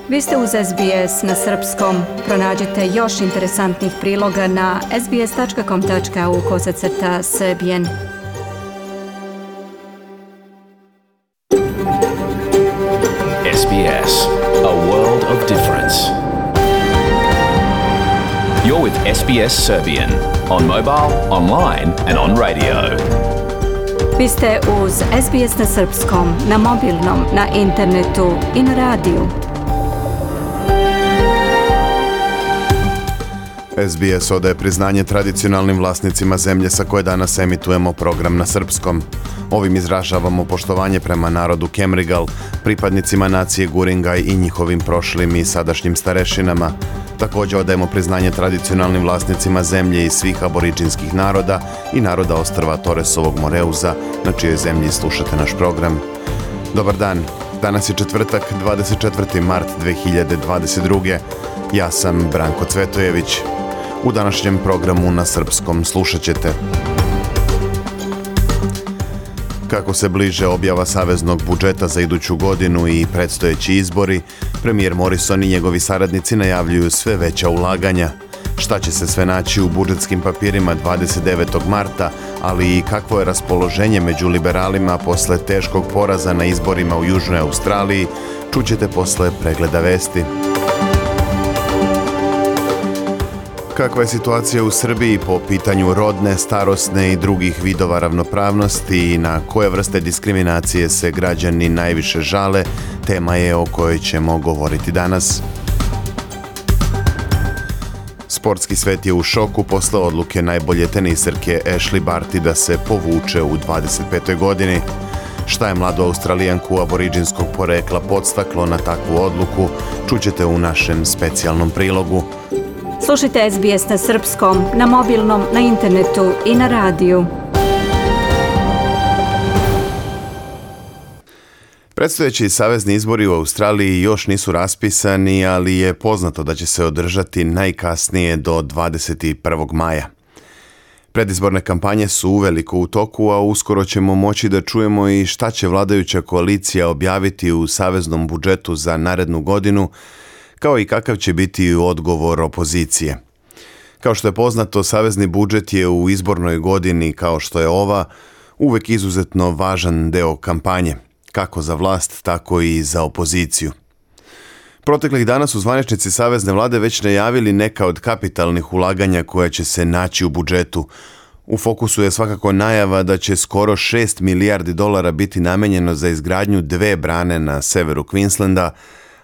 Vi ste uz SBS na srpskom. Pronađite još interesantnih priloga na sbs.com.au/srbijen. SBS, a world of difference. You're with SBS Serbian on mobile, online and on radio. Vi ste uz SBS na srpskom, na mobilnom, na internetu i na radiju. SBS odaje priznanje tradicionalnim vlasnicima zemlje sa koje danas emitujemo program na srpskom. Ovim izražavamo poštovanje prema narodu Kemrigal, pripadnicima nacije Guringaj i njihovim prošlim i sadašnjim starešinama. Također odajemo priznanje tradicionalnim vlasnicima zemlje i svih aboriđinskih naroda i naroda ostrva Toresovog Moreuza, na čijoj zemlji slušate naš program. Dobar dan, danas je četvrtak, 24. mart 2022. Ja sam Branko Cvetojević. U današnjem programu na srpskom slušat ćete: kako se bliže objava saveznog budžeta za iduću godinu i predstojeći izbori, premijer Morrison i njegovi saradnici najavljuju sve veća ulaganja. Šta će se sve naći u budžetskim papirima 29. marta, ali i kakvo je raspoloženje među liberalima posle teškog poraza na izborima u Južnoj Australiji, čućete posle pregleda vesti. Kakva je situacija u Srbiji po pitanju rodne, starosne i drugih vidova ravnopravnosti i na koje vrste diskriminacije se građani najviše žale, tema je o kojoj ćemo govoriti danas. Sportski svet je u šoku posle odluke najbolje teniserke Ashley Barty da se povuče u 25. godini. Šta je mladu Australijanku aboriđinskog porekla podstaklo na takvu odluku, čućete u našem specijalnom prilogu. Slušajte SBS na srpskom, na mobilnom, na internetu i na radiju. Predstojeći savezni izbori u Australiji još nisu raspisani, ali je poznato da će se održati najkasnije do 21. maja. Predizborne kampanje su uveliko u toku, a uskoro ćemo moći da čujemo i šta će vladajuća koalicija objaviti u saveznom budžetu za narednu godinu, kao i kakav će biti odgovor opozicije. Kao što je poznato, savezni budžet je u izbornoj godini, kao što je ova, uvek izuzetno važan deo kampanje, kako za vlast, tako i za opoziciju. Proteklih dana su zvaničnici savezne vlade već najavili neka od kapitalnih ulaganja koja će se naći u budžetu. U fokusu je svakako najava da će skoro $6 milijardi biti namenjeno za izgradnju 2 brane na severu Queenslanda,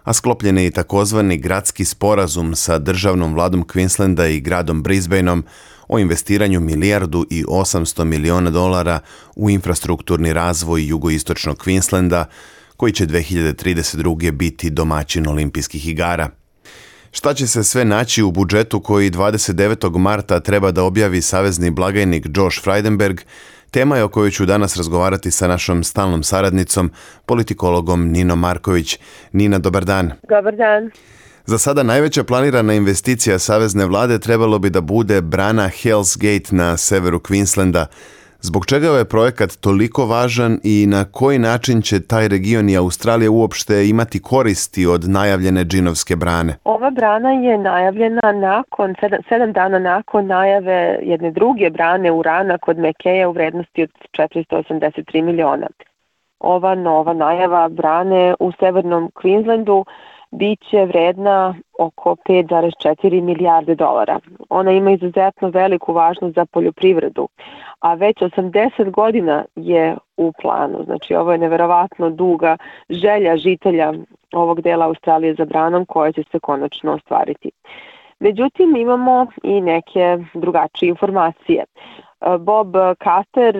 a sklopljen je i takozvani gradski sporazum sa državnom vladom Queenslanda i gradom Brisbaneom o investiranju $1,8 milijardi u infrastrukturni razvoj jugoistočnog Queenslanda, koji će 2032. biti domaćin olimpijskih igara. Šta će se sve naći u budžetu koji 29. marta treba da objavi savezni blagajnik Josh Frydenberg, tema je o kojoj ću danas razgovarati sa našom stalnom saradnicom, politikologom Ninom Marković. Nina, dobar dan. Dobar dan. Za sada najveća planirana investicija savezne vlade trebalo bi da bude brana Hell's Gate na severu Queenslanda. Zbog čega je ovaj projekat toliko važan i na koji način će taj region i Australija uopšte imati koristi od najavljene džinovske brane? Ova brana je najavljena nakon 7 dana nakon najave jedne druge brane urana kod Mekeja u vrednosti od 483 miliona. Ova nova najava brane u severnom Queenslandu biće vredna oko $5,4 milijarde. Ona ima izuzetno veliku važnost za poljoprivredu, a već 80 godina je u planu. Znači, ovo je neverovatno duga želja žitelja ovog dela Australije za branom koja će se konačno ostvariti. Međutim, imamo i neke drugačije informacije. Bob Carter,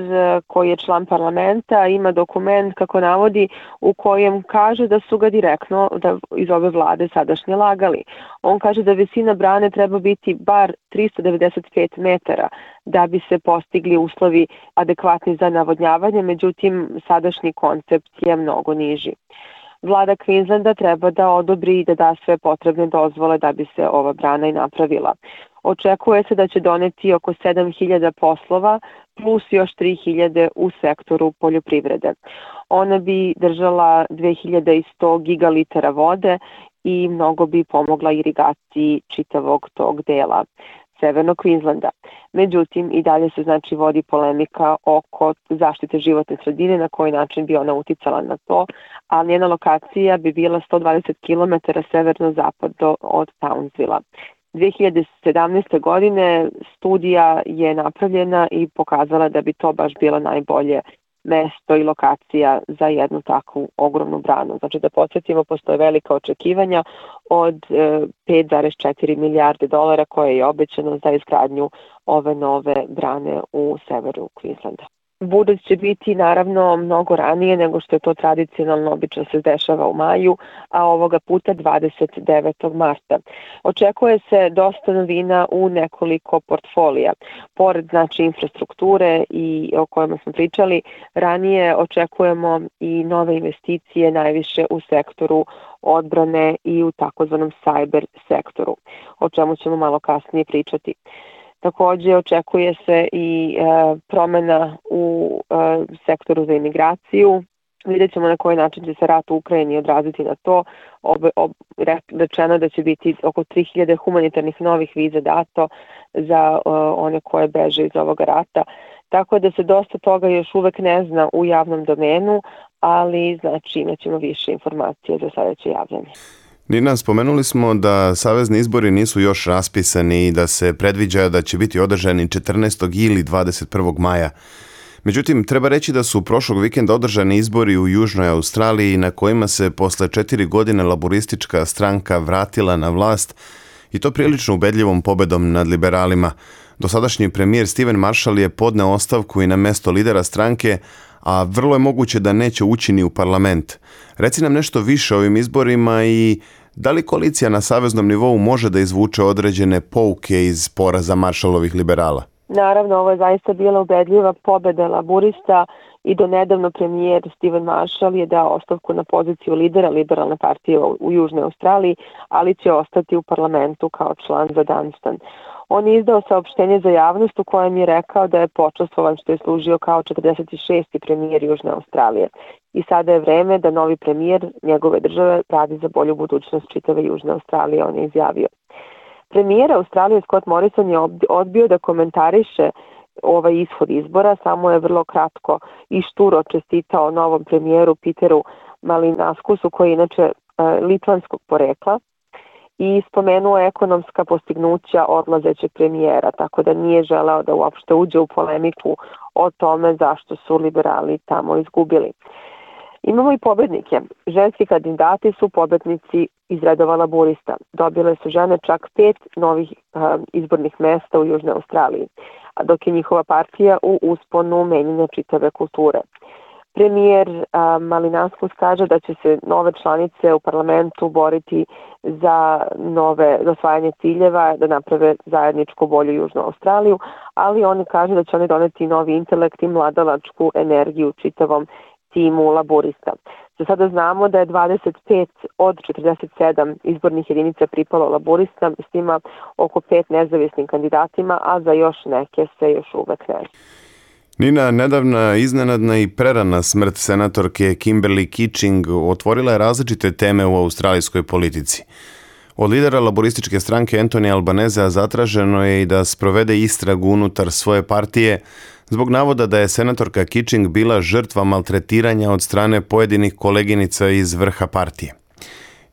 koji je član parlamenta, ima dokument, kako navodi, u kojem kaže da su ga direktno iz ove vlade sadašnje lagali. On kaže da visina brane treba biti bar 395 metara da bi se postigli uslovi adekvatni za navodnjavanje, međutim sadašnji koncept je mnogo niži. Vlada Queenslanda treba da odobri i da da sve potrebne dozvole da bi se ova brana i napravila. Očekuje se da će doneti oko 7.000 poslova plus još 3.000 u sektoru poljoprivrede. Ona bi držala 2.100 gigalitara vode i mnogo bi pomogla irigaciji čitavog tog dela Severnog Queenslanda. Međutim, i dalje se znači vodi polemika oko zaštite životne sredine, na koji način bi ona uticala na to, a njena lokacija bi bila 120 km severno-zapadno od Townsvilla. 2017. godine studija je napravljena i pokazala da bi to baš bilo najbolje mesto i lokacija za jednu takvu ogromnu branu. Znači da podsjetimo, postoje velika očekivanja od 5,4 milijarde dolara koje je obećano za izgradnju ove nove brane u severu Queenslanda. Budžet će biti naravno mnogo ranije nego što je to tradicionalno obično se dešava u maju, a ovoga puta 29. marta. Očekuje se dosta novina u nekoliko portfolija. Pored znači infrastrukture i o kojima smo pričali, ranije očekujemo i nove investicije najviše u sektoru odbrane i u takozvanom cyber sektoru, o čemu ćemo malo kasnije pričati. Takođe očekuje se i promena u sektoru za imigraciju. Vidjet ćemo na koji način će se rat u Ukrajini odraziti na to. Rečeno da će biti oko 3000 humanitarnih novih viza dato za one koje beže iz ovoga rata. Tako da se dosta toga još uvek ne zna u javnom domenu, ali znači imat ćemo više informacije za sledeće javljanje. Nina, spomenuli smo da savezni izbori nisu još raspisani i da se predviđa da će biti održani 14. ili 21. maja. Međutim, treba reći da su prošlog vikenda održani izbori u Južnoj Australiji na kojima se posle 4 godine laboristička stranka vratila na vlast i to prilično ubedljivom pobedom nad liberalima. Dosadašnji premijer Steven Marshall je podneo ostavku i na mesto lidera stranke, a vrlo je moguće da neće ući ni u parlament. Reci nam nešto više o ovim izborima i da li koalicija na saveznom nivou može da izvuče određene pouke iz poraza Marshallovih liberala? Naravno, ovo je zaista bila ubedljiva pobeda laburista i do nedavno premijer Steven Marshall je dao ostavku na poziciju lidera liberalne partije u Južnoj Australiji, ali će ostati u parlamentu kao član za Dunstan. On je izdao saopštenje za javnost u kojem je rekao da je počastvovan što je služio kao 46. premijer Južne Australije. I sada je vreme da novi premijer njegove države radi za bolju budućnost čitave Južne Australije, on je izjavio. Premijer Australije Scott Morrison je odbio da komentariše ovaj ishod izbora, samo je vrlo kratko i šturo čestitao novom premijeru Peteru Malinaskusu, koji je inače litvanskog porekla, i spomenuo ekonomska postignuća odlazećeg premijera, tako da nije želeo da uopšte uđe u polemiku o tome zašto su liberali tamo izgubili. Imamo i pobednike. Ženski kandidati su pobednici iz redova laburista. Dobile su žene čak 5 novih izbornih mesta u Južnoj Australiji, a dok je njihova partija u usponu menjanja čitave kulture. Premijer Malinaskus kaže da će se nove članice u parlamentu boriti za osvajanje ciljeva, da naprave zajedničku bolju Južnu Australiju, ali oni kaže da će oni doneti novi intelekt i mladalačku energiju čitavom timu laburista. Za sada znamo da je 25 od 47 izbornih jedinica pripalo laburista, s njima oko 5 nezavisnim kandidatima, a za još neke se još uvek ne zna. Nina, nedavna iznenadna i prerana smrt senatorke Kimberly Kitching otvorila je različite teme u australijskoj politici. Od lidera laborističke stranke Anthony Albanezea zatraženo je i da sprovede istragu unutar svoje partije zbog navoda da je senatorka Kitching bila žrtva maltretiranja od strane pojedinih koleginica iz vrha partije.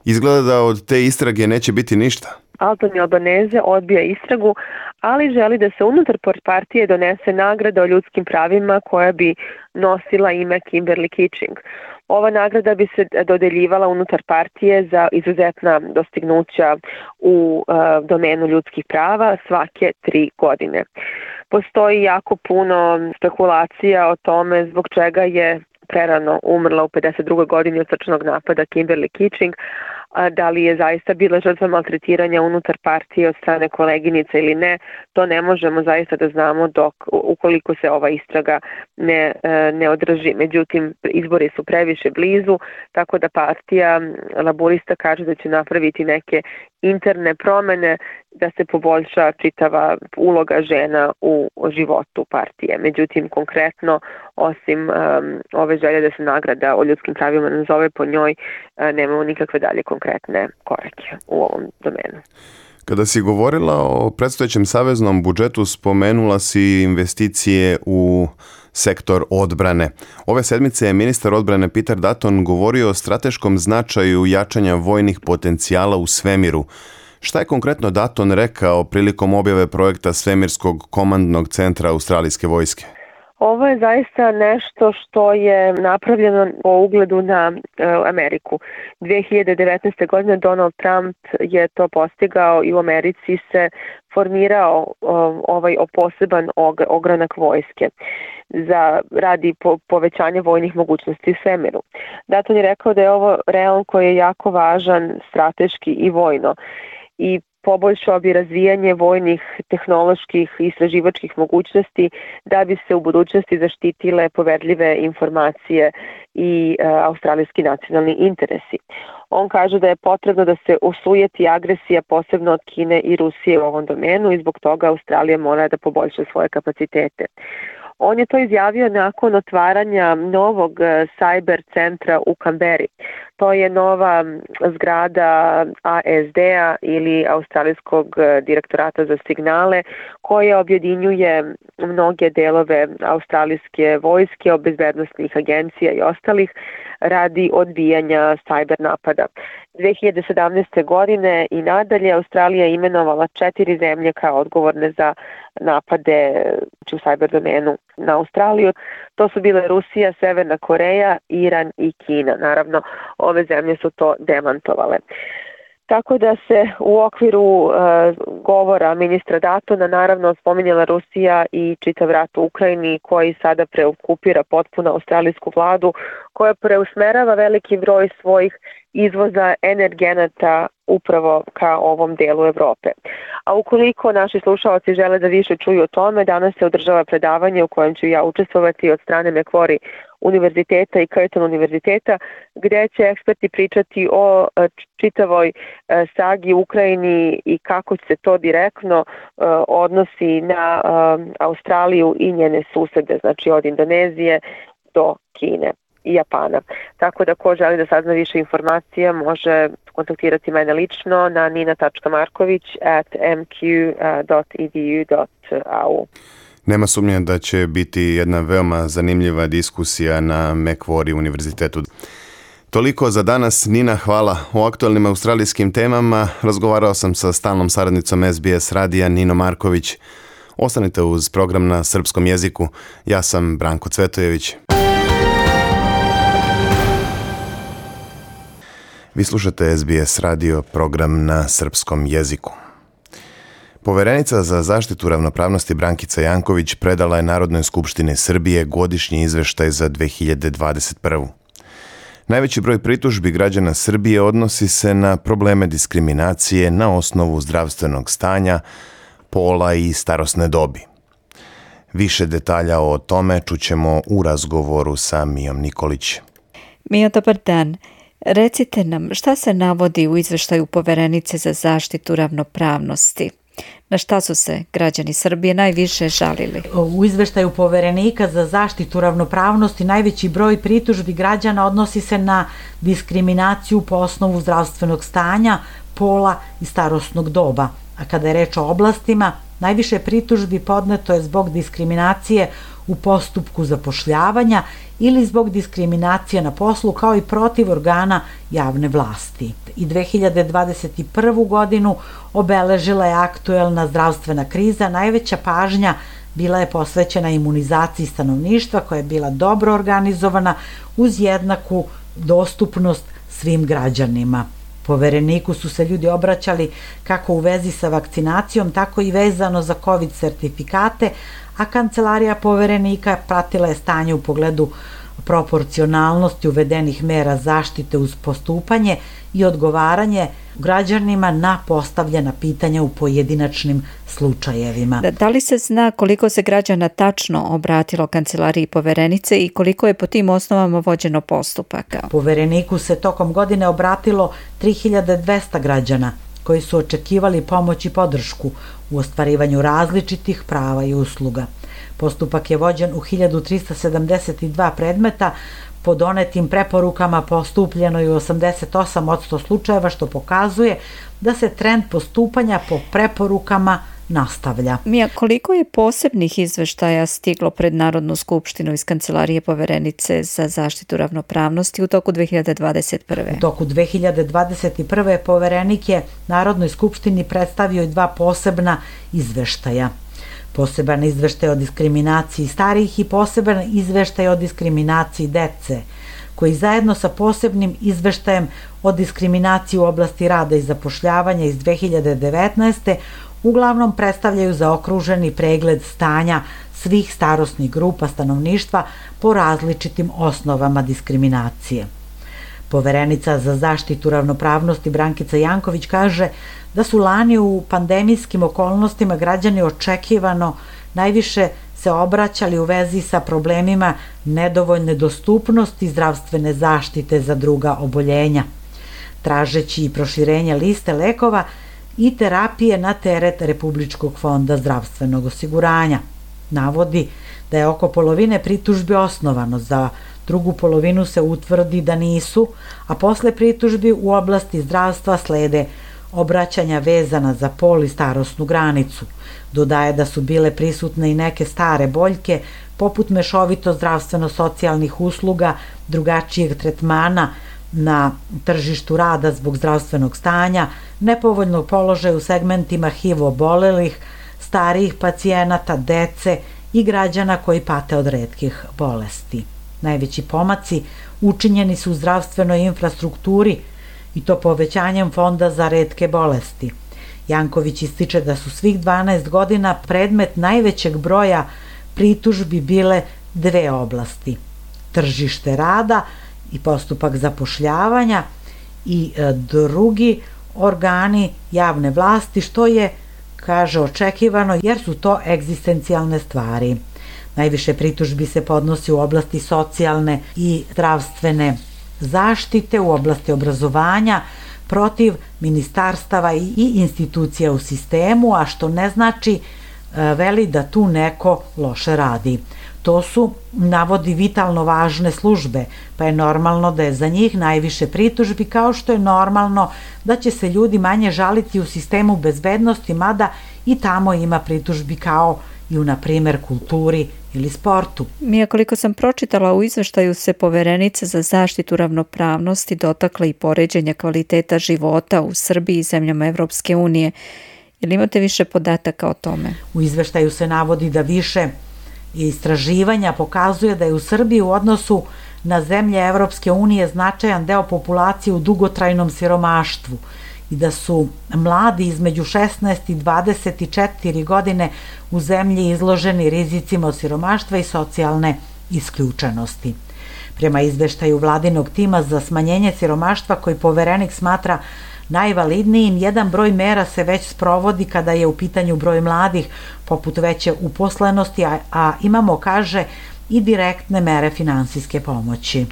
Izgleda da od te istrage neće biti ništa. Anthony Albanese odbija istragu, ali želi da se unutar partije donese nagrada o ljudskim pravima koja bi nosila ime Kimberly Kitching. Ova nagrada bi se dodeljivala unutar partije za izuzetna dostignuća u domenu ljudskih prava svake 3 godine. Postoji jako puno spekulacija o tome zbog čega je prerano umrla u 52. godini od srčanog napada Kimberly Kitching, da li je zaista bila žrtva maltretiranja unutar partije od strane koleginica ili ne, to ne možemo zaista da znamo ukoliko se ova istraga ne održi. Međutim, izbori su previše blizu, tako da partija laburista kaže da će napraviti neke interne promene da se poboljša čitava uloga žena u životu partije. Međutim, konkretno, osim ove želje da se nagrada o ljudskim pravima nazove po njoj, nemamo nikakve dalje konkretne korake u ovom domenu. Kada si govorila o predstojećem saveznom budžetu, spomenula si investicije u sektor odbrane. Ove sedmice je ministar odbrane Peter Dutton govorio o strateškom značaju jačanja vojnih potencijala u svemiru. Šta je konkretno Dutton rekao prilikom objave projekta Svemirskog komandnog centra australijske vojske? Ovo je zaista nešto što je napravljeno po ugledu na Ameriku. 2019. godine Donald Trump je to postigao i u Americi se formirao ovaj poseban ogranak vojske radi povećanja vojnih mogućnosti u svemiru. Dutton je rekao da je ovo reon koji je jako važan strateški i vojno i poboljšao bi razvijanje vojnih, tehnoloških i istraživačkih mogućnosti da bi se u budućnosti zaštitile poverljive informacije i australijski nacionalni interesi. On kaže da je potrebno da se osujeti agresija posebno od Kine i Rusije u ovom domenu i zbog toga Australija mora da poboljša svoje kapacitete. On je to izjavio nakon otvaranja novog cyber centra u Kamberi. To je nova zgrada ASD-a ili Australijskog direktorata za signale koja objedinjuje mnoge delove australijske vojske, bezbednosnih agencija i ostalih radi odbijanja cyber napada. 2017. godine i nadalje Australija je imenovala 4 zemlje kao odgovorne za napade u cyber domenu na Australiju. To su bile Rusija, Severna Koreja, Iran i Kina. Naravno, ove zemlje su to demantovale. Tako da se u okviru govora ministra Duttona naravno spominjala Rusija i čitav rat u Ukrajini koji sada preokupira potpuno australijsku vladu koja preusmerava veliki broj svojih izvoza energenata upravo ka ovom delu Evrope. A ukoliko naši slušalci žele da više čuju o tome, danas se održava predavanje u kojem ću ja učestvovati od strane Macquarie univerziteta i Curtin univerziteta, gdje će eksperti pričati o čitavoj sagi u Ukrajini i kako se to direktno odnosi na Australiju i njene susede, znači od Indonezije do Kine i Japana. Tako da ko želi da sazna više informacija može kontaktirati mene lično na nina.marković@mq.edu.au. Nema sumnje da će biti jedna veoma zanimljiva diskusija na Macquarie univerzitetu. Toliko za danas. Nina, hvala. O aktualnim australijskim temama razgovarao sam sa stalnom saradnicom SBS radija Nino Marković. Ostanite uz program na srpskom jeziku. Ja sam Branko Cvetojević. Vi slušate SBS radio, program na srpskom jeziku. Poverenica za zaštitu ravnopravnosti Brankica Janković predala je Narodnoj skupštini Srbije godišnji izveštaj za 2021. Najveći broj pritužbi građana Srbije odnosi se na probleme diskriminacije na osnovu zdravstvenog stanja, pola i starosne dobi. Više detalja o tome čućemo u razgovoru sa Mijom Nikolić. Mija, dobar dan. Recite nam šta se navodi u izveštaju Poverenice za zaštitu ravnopravnosti? Na šta su se građani Srbije najviše žalili? U izveštaju Poverenika za zaštitu ravnopravnosti najveći broj pritužbi građana odnosi se na diskriminaciju po osnovu zdravstvenog stanja, pola i starosnog doba. A kada je reč o oblastima, najviše pritužbi podneto je zbog diskriminacije u postupku zapošljavanja ili zbog diskriminacije na poslu kao i protiv organa javne vlasti. I 2021. godinu obeležila je aktuelna zdravstvena kriza. Najveća pažnja bila je posvećena imunizaciji stanovništva koja je bila dobro organizovana uz jednaku dostupnost svim građanima. Povereniku su se ljudi obraćali kako u vezi sa vakcinacijom, tako i vezano za COVID sertifikate, a kancelarija Poverenika pratila je stanje u pogledu proporcionalnosti uvedenih mera zaštite uz postupanje i odgovaranje građanima na postavljena pitanja u pojedinačnim slučajevima. Da li se zna koliko se građana tačno obratilo kancelariji Poverenice i koliko je po tim osnovama vođeno postupaka? Povereniku se tokom godine obratilo 3200 građana. koji su očekivali pomoć i podršku u ostvarivanju različitih prava i usluga. Postupak je vođen u 1372 predmeta, po donetim preporukama postupljeno je u 88% slučajeva, što pokazuje da se trend postupanja po preporukama nastavlja. Mija, koliko je posebnih izveštaja stiglo pred Narodnu skupštinu iz Kancelarije poverenice za zaštitu ravnopravnosti u toku 2021. U toku 2021. poverenik je Narodnoj skupštini predstavio i 2 posebna izveštaja. Poseban izveštaj o diskriminaciji starijih i poseban izveštaj o diskriminaciji dece, koji zajedno sa posebnim izveštajem o diskriminaciji u oblasti rada i zapošljavanja iz 2019. uglavnom predstavljaju zaokruženi pregled stanja svih starosnih grupa stanovništva po različitim osnovama diskriminacije. Poverenica za zaštitu ravnopravnosti Brankica Janković kaže da su lani u pandemijskim okolnostima građani očekivano najviše se obraćali u vezi sa problemima nedovoljne dostupnosti zdravstvene zaštite za druga oboljenja, tražeći i proširenje liste lekova i terapije na teret Republičkog fonda zdravstvenog osiguranja. Navodi da je oko polovine pritužbi osnovano, za drugu polovinu se utvrdi da nisu, a posle pritužbi u oblasti zdravstva slede obraćanja vezana za pol i starosnu granicu. Dodaje da su bile prisutne i neke stare boljke, poput mešovito zdravstveno-socijalnih usluga, drugačijeg tretmana na tržištu rada zbog zdravstvenog stanja, nepovoljnog položaja u segmentima HIV obolelih, starijih pacijenata, dece i građana koji pate od retkih bolesti. Najveći pomaci učinjeni su u zdravstvenoj infrastrukturi, i to povećanjem fonda za retke bolesti. Janković ističe da su svih 12 godina predmet najvećeg broja pritužbi bile 2 oblasti: tržište rada i postupak zapošljavanja i drugi organi javne vlasti, što je, kaže, očekivano jer su to egzistencijalne stvari. Najviše pritužbi se podnosi u oblasti socijalne i zdravstvene zaštite, u oblasti obrazovanja, protiv ministarstava i institucija u sistemu, a što ne znači, veli, da tu neko loše radi. To su, navodi, vitalno važne službe, pa je normalno da je za njih najviše pritužbi, kao što je normalno da će se ljudi manje žaliti u sistemu bezbednosti, mada i tamo ima pritužbi kao i u, na primjer, kulturi ili sportu. Mija, koliko sam pročitala, u izveštaju se poverenica za zaštitu ravnopravnosti dotakla i poređenja kvaliteta života u Srbiji i zemljama Evropske unije. Jel imate više podataka o tome? U izveštaju se navodi da više istraživanja pokazuje da je u Srbiji u odnosu na zemlje Evropske unije značajan deo populacije u dugotrajnom siromaštvu i da su mladi između 16 i 24 godine u zemlji izloženi rizicima od siromaštva i socijalne isključenosti. Prema izveštaju vladinog tima za smanjenje siromaštva, koji poverenik smatra najvalidnijim, jedan broj mera se već sprovodi kada je u pitanju broj mladih, poput veće uposlenosti, a imamo, kaže, i direktne mere finansijske pomoći.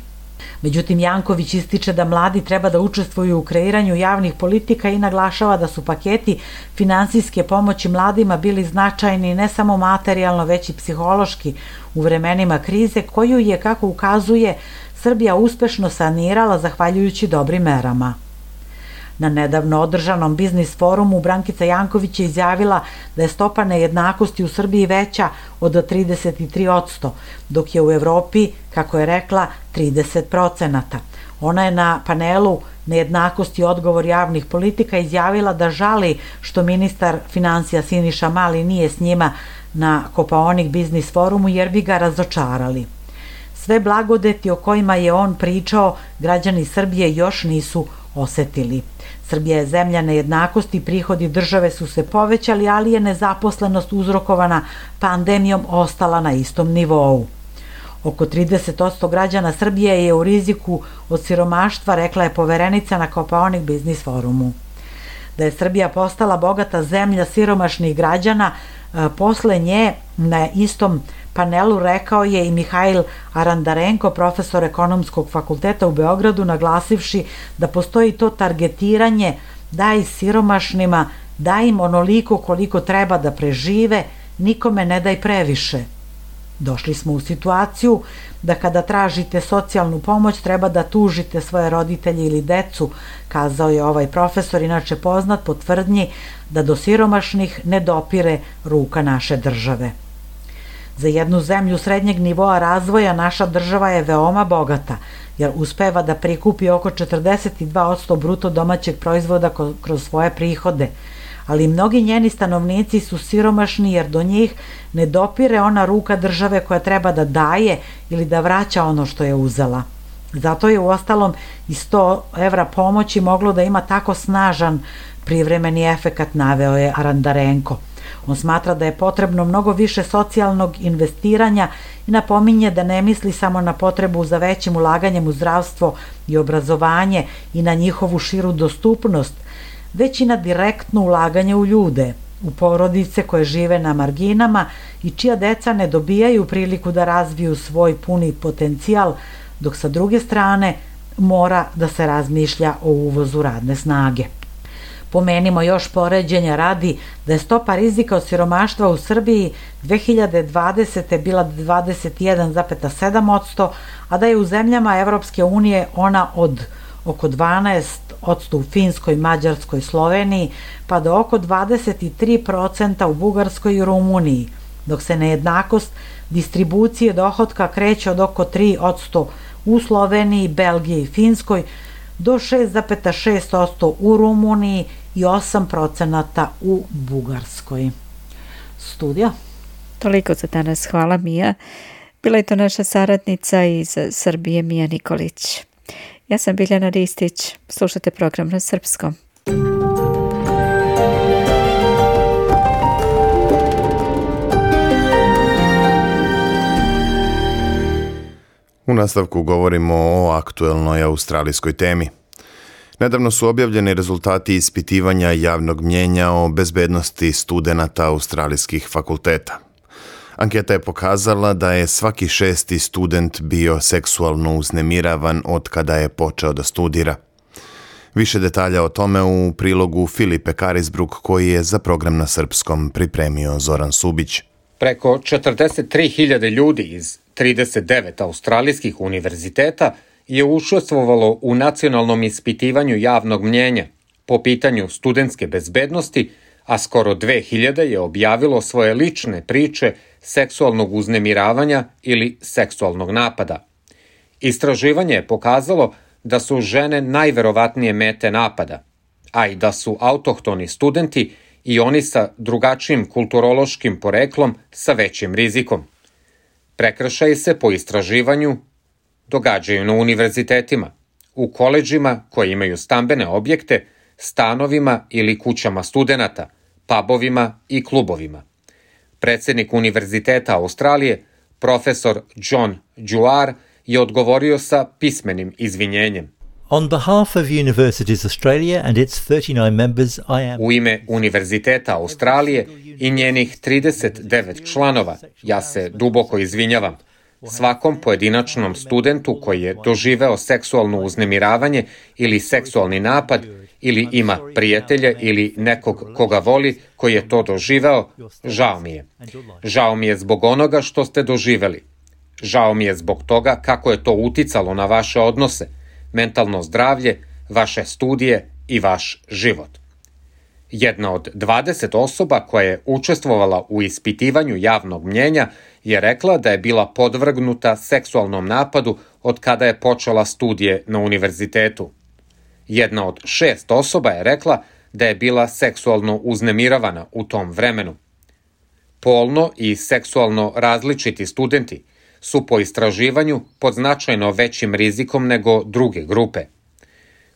Međutim, Janković ističe da mladi treba da učestvuju u kreiranju javnih politika i naglašava da su paketi finansijske pomoći mladima bili značajni ne samo materijalno, već i psihološki u vremenima krize, koju je, kako ukazuje, Srbija uspešno sanirala zahvaljujući dobrim merama. Na nedavno održanom biznis forumu Brankica Janković je izjavila da je stopa nejednakosti u Srbiji veća od 33%, dok je u Evropi, kako je rekla, 30%. Ona je na panelu Nejednakost i odgovor javnih politika izjavila da žali što ministar finansija Siniša Mali nije s njima na Kopaonik biznis forumu, jer bi ga razočarali. Sve blagodeti o kojima je on pričao građani Srbije još nisu osetili. Srbija je zemlja nejednakosti, prihodi države su se povećali, ali je nezaposlenost uzrokovana pandemijom ostala na istom nivou. Oko 30% građana Srbije je u riziku od siromaštva, rekla je poverenica na Kopaonik biznis forumu. Da je Srbija postala bogata zemlja siromašnih građana, posle nje na istom panelu rekao je i Mihajl Arandarenko, profesor ekonomskog fakulteta u Beogradu, naglasivši da postoji to targetiranje daj siromašnima, daj im onoliko koliko treba da prežive, nikome ne daj previše. Došli smo u situaciju da kada tražite socijalnu pomoć treba da tužite svoje roditelje ili decu, kazao je ovaj profesor, inače poznat po tvrdnji da do siromašnih ne dopire ruka naše države. Za jednu zemlju srednjeg nivoa razvoja naša država je veoma bogata, jer uspeva da prikupi oko 42% bruto domaćeg proizvoda kroz svoje prihode, ali mnogi njeni stanovnici su siromašni jer do njih ne dopire ona ruka države koja treba da daje ili da vraća ono što je uzela. Zato je uostalom i 100 evra pomoći moglo da ima tako snažan privremeni efekat, naveo je Arandarenko. On smatra da je potrebno mnogo više socijalnog investiranja i napominje da ne misli samo na potrebu za većim ulaganjem u zdravstvo i obrazovanje i na njihovu širu dostupnost, već i na direktno ulaganje u ljude, u porodice koje žive na marginama i čija deca ne dobijaju priliku da razviju svoj puni potencijal, dok sa druge strane mora da se razmišlja o uvozu radne snage. Pomenimo još poređenja radi da je stopa rizika od siromaštva u Srbiji 2020. bila 21,7%, a da je u zemljama Evropske unije ona od oko 12% u Finskoj, Mađarskoj, Sloveniji, pa do oko 23% u Bugarskoj i Rumuniji, dok se nejednakost distribucije dohotka kreće od oko 3% u Sloveniji, Belgiji i Finskoj, do 6,6% u Rumuniji i 8% u Bugarskoj. Studija. Toliko za danas. Hvala, Mija. Bila je to naša saradnica iz Srbije, Mija Nikolić. Ja sam Biljana Ristić. Slušate program na srpskom. U nastavku govorimo o aktuelnoj australijskoj temi. Nedavno su objavljeni rezultati ispitivanja javnog mnjenja o bezbednosti studenata australijskih fakulteta. Anketa je pokazala da je svaki 6. student bio seksualno uznemiravan od kada je počeo da studira. Više detalja o tome u prilogu Filipe Karisbruk koji je za program na srpskom pripremio Zoran Subić. Preko 43.000 ljudi iz 39 australijskih univerziteta je učestvovalo u nacionalnom ispitivanju javnog mnjenja po pitanju studentske bezbednosti, a skoro 2000 je objavilo svoje lične priče seksualnog uznemiravanja ili seksualnog napada. Istraživanje je pokazalo da su žene najverovatnije mete napada, a i da su autohtoni studenti i oni sa drugačijim kulturološkim poreklom sa većim rizikom. Prekršaji se po istraživanju događaju na univerzitetima, u koledžima koji imaju stambene objekte, stanovima ili kućama studenata, pubovima i klubovima. Predsjednik Univerziteta Australije, profesor John Dewar, je odgovorio sa pismenim izvinjenjem. On behalf of Universities Australia and its 39 members, I am... U ime Univerziteta Australije i njenih 39 članova, ja se duboko izvinjavam svakom pojedinačnom studentu koji je doživeo seksualno uznemiravanje ili seksualni napad ili ima prijatelje ili nekog koga voli koji je to doživeo, žao mi je. Žao mi je zbog onoga što ste doživeli. Žao mi je zbog toga kako je to uticalo na vaše odnose, mentalno zdravlje, vaše studije i vaš život. Jedna od 20 osoba koja je učestvovala u ispitivanju javnog mnjenja je rekla da je bila podvrgnuta seksualnom napadu od kada je počela studije na univerzitetu. Jedna od 6 osoba je rekla da je bila seksualno uznemiravana u tom vremenu. Polno i seksualno različiti studenti su po istraživanju pod značajno većim rizikom nego druge grupe.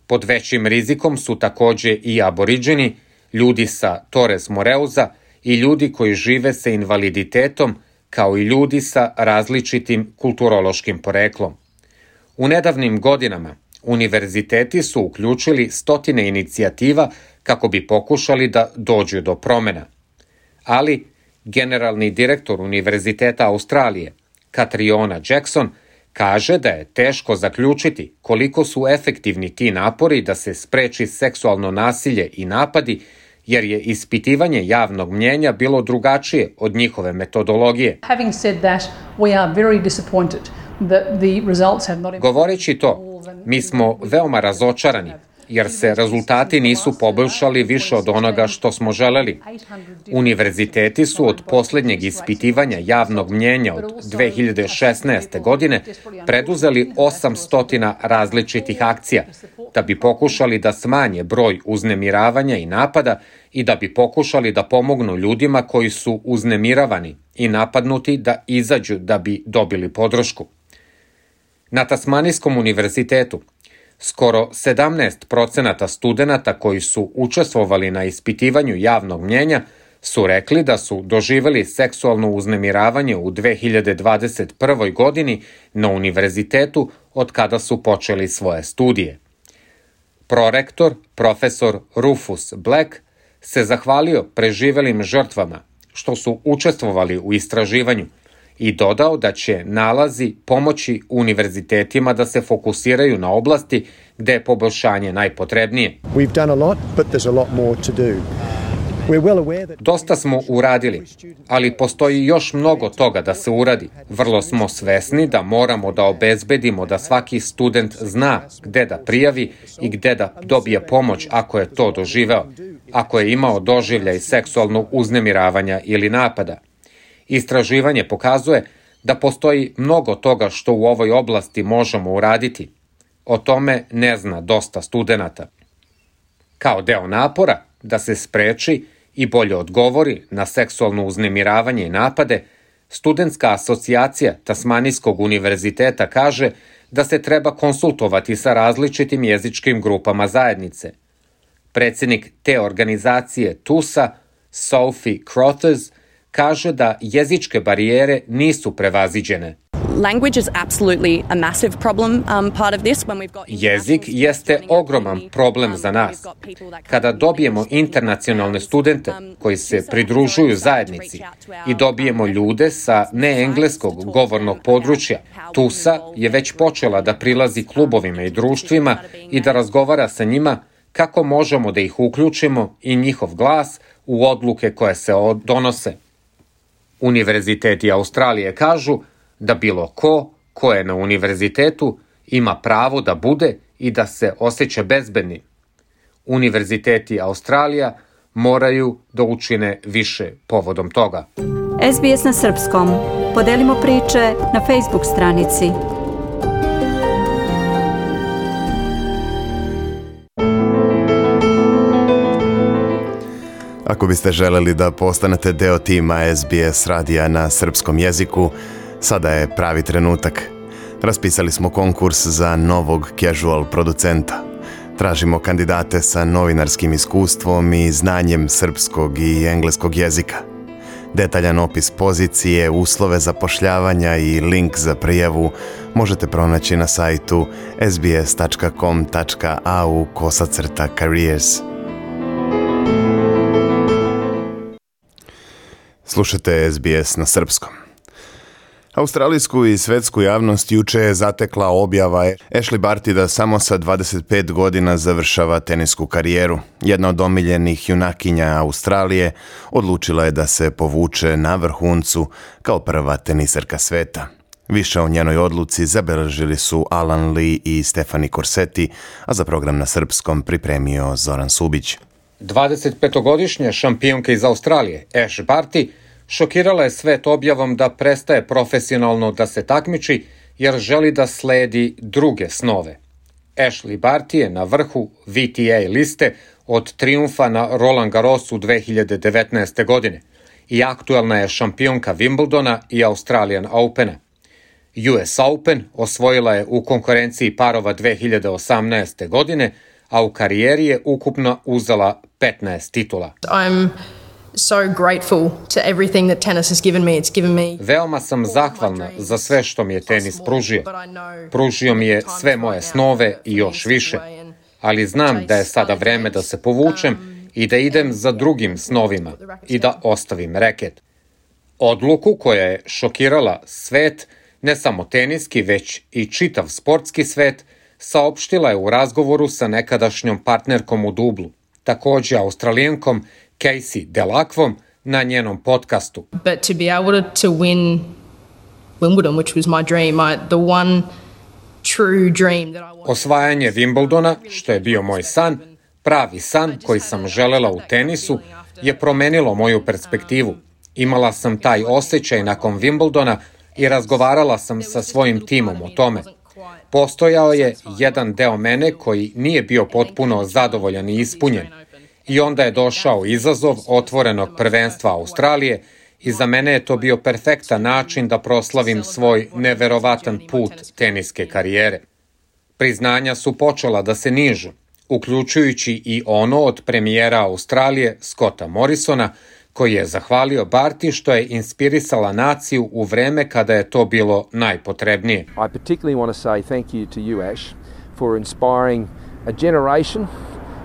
Pod većim rizikom su takođe i aboriđeni, ljudi sa Torres Moreuza i ljudi koji žive sa invaliditetom, kao i ljudi sa različitim kulturološkim poreklom. U nedavnim godinama univerziteti su uključili stotine inicijativa kako bi pokušali da dođu do promena. Ali generalni direktor Univerziteta Australije, Catriona Jackson, Kaže da je teško zaključiti koliko su efektivni ti napori da se spreči seksualno nasilje i napadi, jer je ispitivanje javnog mnjenja bilo drugačije od njihove metodologije. Govoreći to, mi smo veoma razočarani, jer se rezultati nisu poboljšali više od onoga što smo želeli. Univerziteti su od posljednjeg ispitivanja javnog mnjenja od 2016. godine preduzeli 800 različitih akcija, da bi pokušali da smanje broj uznemiravanja i napada i da bi pokušali da pomognu ljudima koji su uznemiravani i napadnuti da izađu da bi dobili podršku. Na Tasmanijskom univerzitetu skoro 17% studenata koji su učestvovali na ispitivanju javnog mnjenja su rekli da su doživeli seksualno uznemiravanje u 2021. godini na univerzitetu od kada su počeli svoje studije. Prorektor, profesor Rufus Black, se zahvalio preživelim žrtvama što su učestvovali u istraživanju i dodao da će nalazi pomoći univerzitetima da se fokusiraju na oblasti gde je poboljšanje najpotrebnije. Dosta smo uradili, ali postoji još mnogo toga da se uradi. Vrlo smo svesni da moramo da obezbedimo da svaki student zna gde da prijavi i gde da dobije pomoć ako je to doživeo, ako je imao doživljaj seksualnog uznemiravanja ili napada. Istraživanje pokazuje da postoji mnogo toga što u ovoj oblasti možemo uraditi. O tome ne zna dosta studenata. Kao deo napora da se spreči i bolje odgovori na seksualno uznemiravanje i napade, Studentska asocijacija Tasmanijskog univerziteta kaže da se treba konsultovati sa različitim jezičkim grupama zajednice. Predsjednik te organizacije TUSA, Sophie Crothers, kaže da jezičke barijere nisu prevaziđene. Jezik jeste ogroman problem za nas. Kada dobijemo internacionalne studente koji se pridružuju zajednici i dobijemo ljude sa neengleskog govornog područja, TUSA je već počela da prilazi klubovima i društvima i da razgovara sa njima kako možemo da ih uključimo i njihov glas u odluke koje se donose. Univerziteti Australije kažu da bilo ko je na univerzitetu ima pravo da bude i da se osjeća bezbedni. Univerziteti Australija moraju da učine više povodom toga. SBS na srpskom. Podelimo priče na Facebook stranici. Ako biste želeli da postanete deo tima SBS radija na srpskom jeziku, sada je pravi trenutak. Raspisali smo konkurs za novog casual producenta. Tražimo kandidate sa novinarskim iskustvom i znanjem srpskog i engleskog jezika. Detaljan opis pozicije, uslove zapošljavanja i link za prijavu možete pronaći na sajtu sbs.com.au/careers. Slušate SBS na srpskom. Australijsku i svetsku javnost juče je zatekla objava Ashley Barty da samo sa 25 godina završava tenisku karijeru. Jedna od omiljenih junakinja Australije odlučila je da se povuče na vrhuncu kao prva teniserka sveta. Više o njenoj odluci zabeležili su Alan Lee i Stefani Corsetti, a za program na srpskom pripremio Zoran Subić. 25-godišnja šampionka iz Australije, Ash Barty, šokirala je svet objavom da prestaje profesionalno da se takmiči jer želi da sledi druge snove. Ashley Barty je na vrhu VTA liste od trijumfa na Roland Garrosu 2019. godine i aktuelna je šampionka Wimbledona i Australian Opena. US Open osvojila je u konkurenciji parova 2018. godine, a u karijeri je ukupno uzela 15 titula. So grateful to everything that tennis has given me. It's given me. Veoma sam zahvalna za sve što mi je tenis pružio. Pružio mi je sve moje snove i još više. Ali znam da je sada vreme da se povučem i da idem za drugim snovima i da ostavim reket. Odluku koja je šokirala svet ne samo teniski, već i čitav sportski svet, saopštila je u razgovoru sa nekadašnjom partnerkom u dublu, takođe Australijankom Casey Delacqvom, na njenom podcastu. But to be able to win Wimbledon, which was my dream, the one true dream that I wanted. Osvajanje Wimbledona, što je bio moj san, pravi san koji sam želela u tenisu, je promenilo moju perspektivu. Imala sam taj osjećaj nakon Wimbledona i razgovarala sam sa svojim timom o tome. Postojao je jedan deo mene koji nije bio potpuno zadovoljan i ispunjen. I onda je došao izazov otvorenog prvenstva Australije i za mene je to bio perfektan način da proslavim svoj neverovatan put teniske karijere. Priznanja su počela da se nižu, uključujući i ono od premijera Australije Scotta Morrisona, koji je zahvalio Barty što je inspirisala naciju u vreme kada je to bilo najpotrebnije. I particularly want to say thank you to you, Ash, for inspiring a generation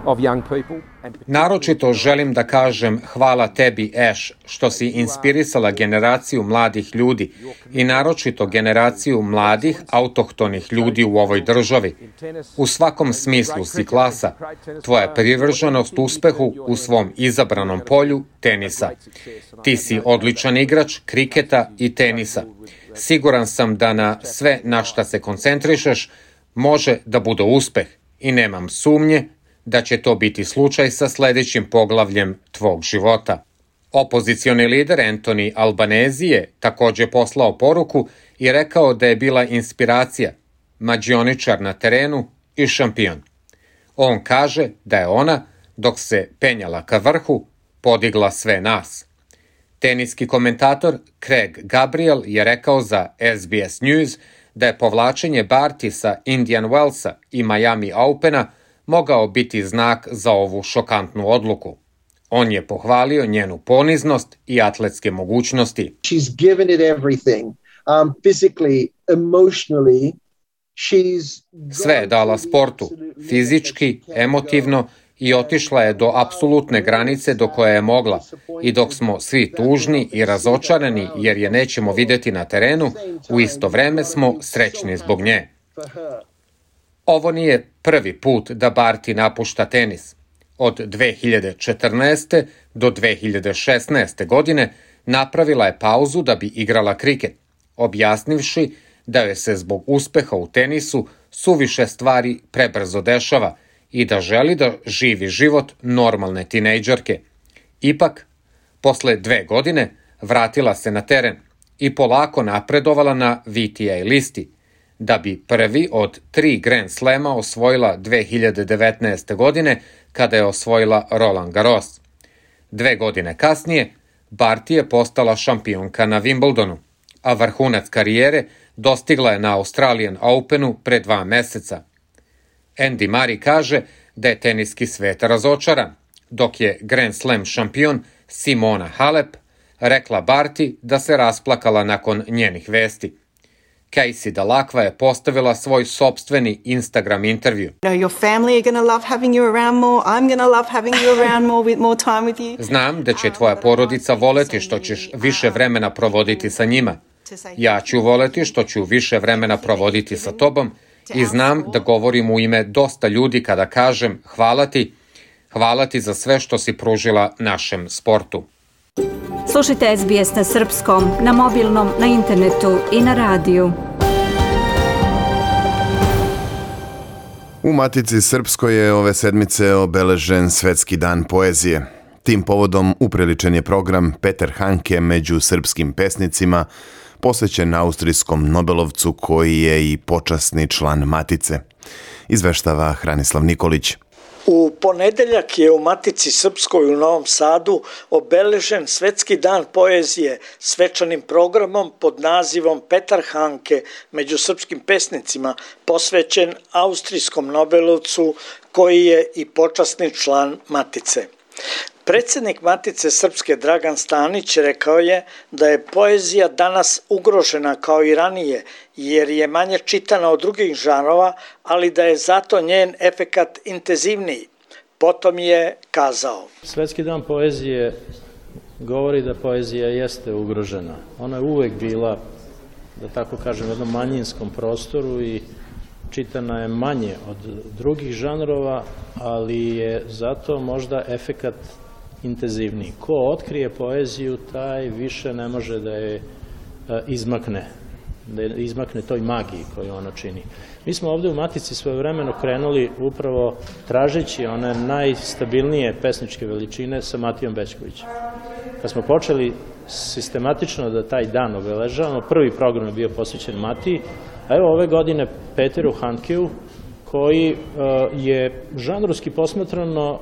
of young people. Naročito želim da kažem hvala tebi, Ash, što si inspirisala generaciju mladih ljudi i naročito generaciju mladih autohtonih ljudi u ovoj državi. U svakom smislu si klasa. Tvoja privrženost uspehu u svom izabranom polju tenisa. Ti si odličan igrač kriketa i tenisa. Siguran sam da na sve na šta se koncentrišeš može da bude uspeh i nemam sumnje da će to biti slučaj sa sledećim poglavljem tvog života. Opozicioni lider Anthony Albanese je takođe poslao poruku i rekao da je bila inspiracija, mađioničar na terenu i šampion. On kaže da je ona, dok se penjala ka vrhu, podigla sve nas. Teniski komentator Craig Gabriel je rekao za SBS News da je povlačenje Barty sa Indian Wellsa i Miami Opena mogao biti znak za ovu šokantnu odluku. On je pohvalio njenu poniznost i atletske mogućnosti. She's given it everything. Physically, emotionally, sve je dala sportu, fizički, emotivno i otišla je do apsolutne granice do koje je mogla. I dok smo svi tužni i razočarani jer je nećemo videti na terenu, u isto vreme smo srećni zbog nje. Ovo nije prvi put da Barty napušta tenis. Od 2014. do 2016. godine napravila je pauzu da bi igrala kriket, objasnivši da joj se zbog uspeha u tenisu suviše stvari prebrzo dešava i da želi da živi život normalne tinejdžerke. Ipak, posle 2 godine vratila se na teren i polako napredovala na VTA listi, da bi prvi od 3 Grand Slema osvojila 2019. godine kada je osvojila Roland Garros. 2 godine kasnije, Barty je postala šampionka na Wimbledonu, a vrhunac karijere dostigla je na Australian Openu pre 2 meseca. Andy Murray kaže da je teniski svet razočaran, dok je Grand Slam šampion Simona Halep rekla Barty da se rasplakala nakon njenih vesti. Casey Delacqua je postavila svoj sopstveni Instagram intervju. Znam da će tvoja porodica voleti što ćeš više vremena provoditi sa njima. Ja ću voleti što ću više vremena provoditi sa tobom i znam da govorim u ime dosta ljudi kada kažem hvala ti za sve što si pružila našem sportu. Slušajte SBS na srpskom, na mobilnom, na internetu i na radiju. U Matici Srpskoj je ove sedmice obeležen Svetski dan poezije. Tim povodom upriličen je program Petar Handke među srpskim pesnicima, posvećen austrijskom Nobelovcu koji je i počasni član Matice. Izveštava Hranislav Nikolić. U ponedeljak je u Matici Srpskoj u Novom Sadu obeležen Svetski dan poezije svečanim programom pod nazivom Petar Handke među srpskim pesnicima, posvećen austrijskom Nobelovcu koji je i počasni član Matice. Predsjednik Matice Srpske Dragan Stanić rekao je da je poezija danas ugrožena kao i ranije jer je manje čitana od drugih žanrova, ali da je zato njen efekat intenzivniji. Potom je kazao: Svetski dan poezije govori da poezija jeste ugrožena. Ona je uvek bila da tako kažem, jednom manjinskom prostoru i čitana je manje od drugih žanrova, ali je zato možda efekat intenzivniji. Ko otkrije poeziju, taj više ne može da je izmakne toj magiji koju ona čini. Mi smo ovde u Matici svojevremeno krenuli upravo tražeći one najstabilnije pesničke veličine sa Matijom Bećkovićem. Kad smo počeli sistematično da taj dan obeležavamo, prvi program je bio posvećen Matiji, a evo ove godine Peteru Handkeu, koji je žanrovski posmatrano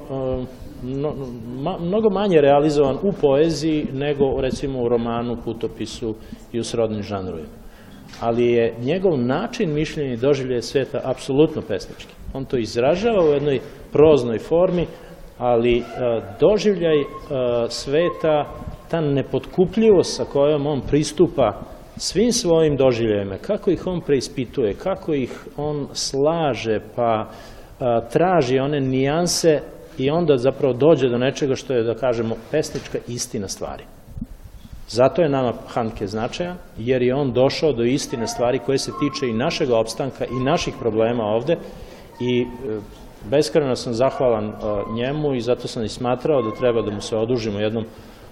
mnogo manje realizovan u poeziji nego recimo u romanu, putopisu i u srodnim žanrovima. Ali je njegov način mišljenja i doživljaja sveta apsolutno pesnički. On to izražava u jednoj proznoj formi, ali doživljaj sveta, ta nepotkupljivost sa kojom on pristupa svim svojim doživljajima, kako ih on preispituje, kako ih on slaže, pa traži one nijanse i onda zapravo dođe do nečega što je, da kažemo, pesnička istina stvari. Zato je nama Handke značajan, jer je on došao do istine stvari koje se tiče i našeg opstanka i naših problema ovde i beskrajno sam zahvalan njemu i zato sam i smatrao da treba da mu se odužimo jednom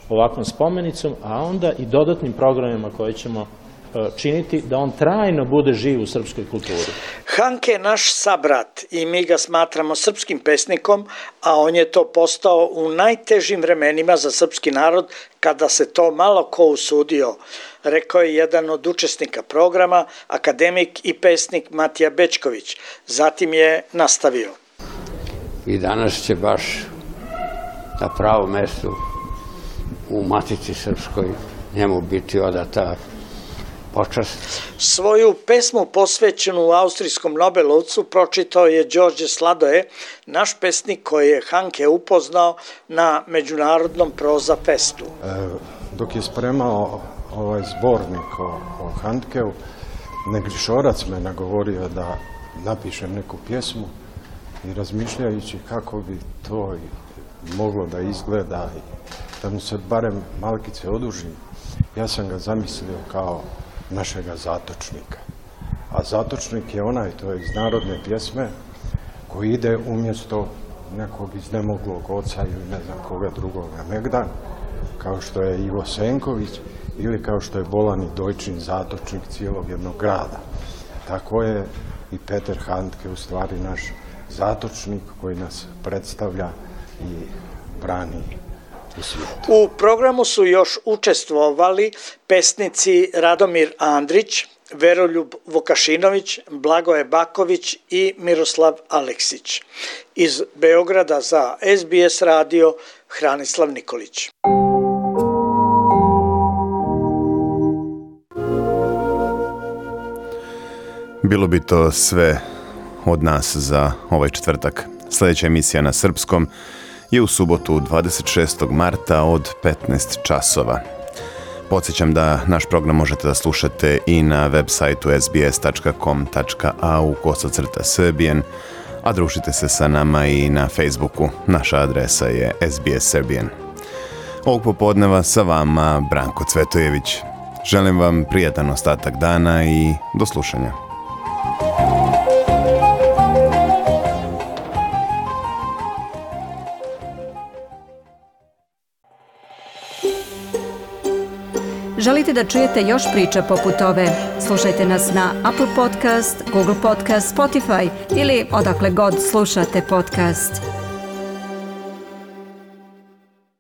ovakvom spomenicom, a onda i dodatnim programima koje ćemo činiti da on trajno bude živ u srpskoj kulturi. Handke je naš sabrat i mi ga smatramo srpskim pesnikom, a on je to postao u najtežim vremenima za srpski narod kada se to malo ko usudio, rekao je jedan od učesnika programa, akademik i pesnik Matija Bećković. Zatim je nastavio. I danas će baš na pravom mestu u Matici Srpskoj njemu biti odata počast. Svoju pesmu posvećenu austrijskom Nobelovcu pročitao je Đorđe Sladoje, naš pesnik koji je Handke upoznao na Međunarodnom proza festu. Dok je spremao ovaj zbornik o Handkeu, Negrišorac me nagovorio da napišem neku pjesmu i razmišljajući kako bi to moglo da izgleda i da mu se barem malkice odužim, ja sam ga zamislio kao našega zatočnika. A zatočnik je onaj, to je iz narodne pjesme, koji ide umjesto nekog iznemoglog oca ili ne znam koga drugoga negdan, kao što je Ivo Senković ili kao što je Bolani Dojčin zatočnik cijelog jednog grada. Tako je i Peter Handke u stvari naš zatočnik koji nas predstavlja i brani u svijetu. U programu su još učestvovali pesnici Radomir Andrić, Veroljub Vukašinović, Blagoje Baković i Miroslav Aleksić. Iz Beograda za SBS radio Hranislav Nikolić. Bilo bi to sve od nas za ovaj četvrtak. Sljedeća emisija na srpskom je u subotu 26. marta od 15 časova. Podsjećam da naš program možete da slušate i na web sajtu sbs.com.au/Serbian, a družite se sa nama i na Facebooku. Naša adresa je SBS Serbian. Ovog popodneva sa vama Branko Cvetojević. Želim vam prijatan ostatak dana i do slušanja. Želite da čujete još priča poput ove? Slušajte nas na Apple Podcast, Google Podcast, Spotify ili odakle god slušate podcast.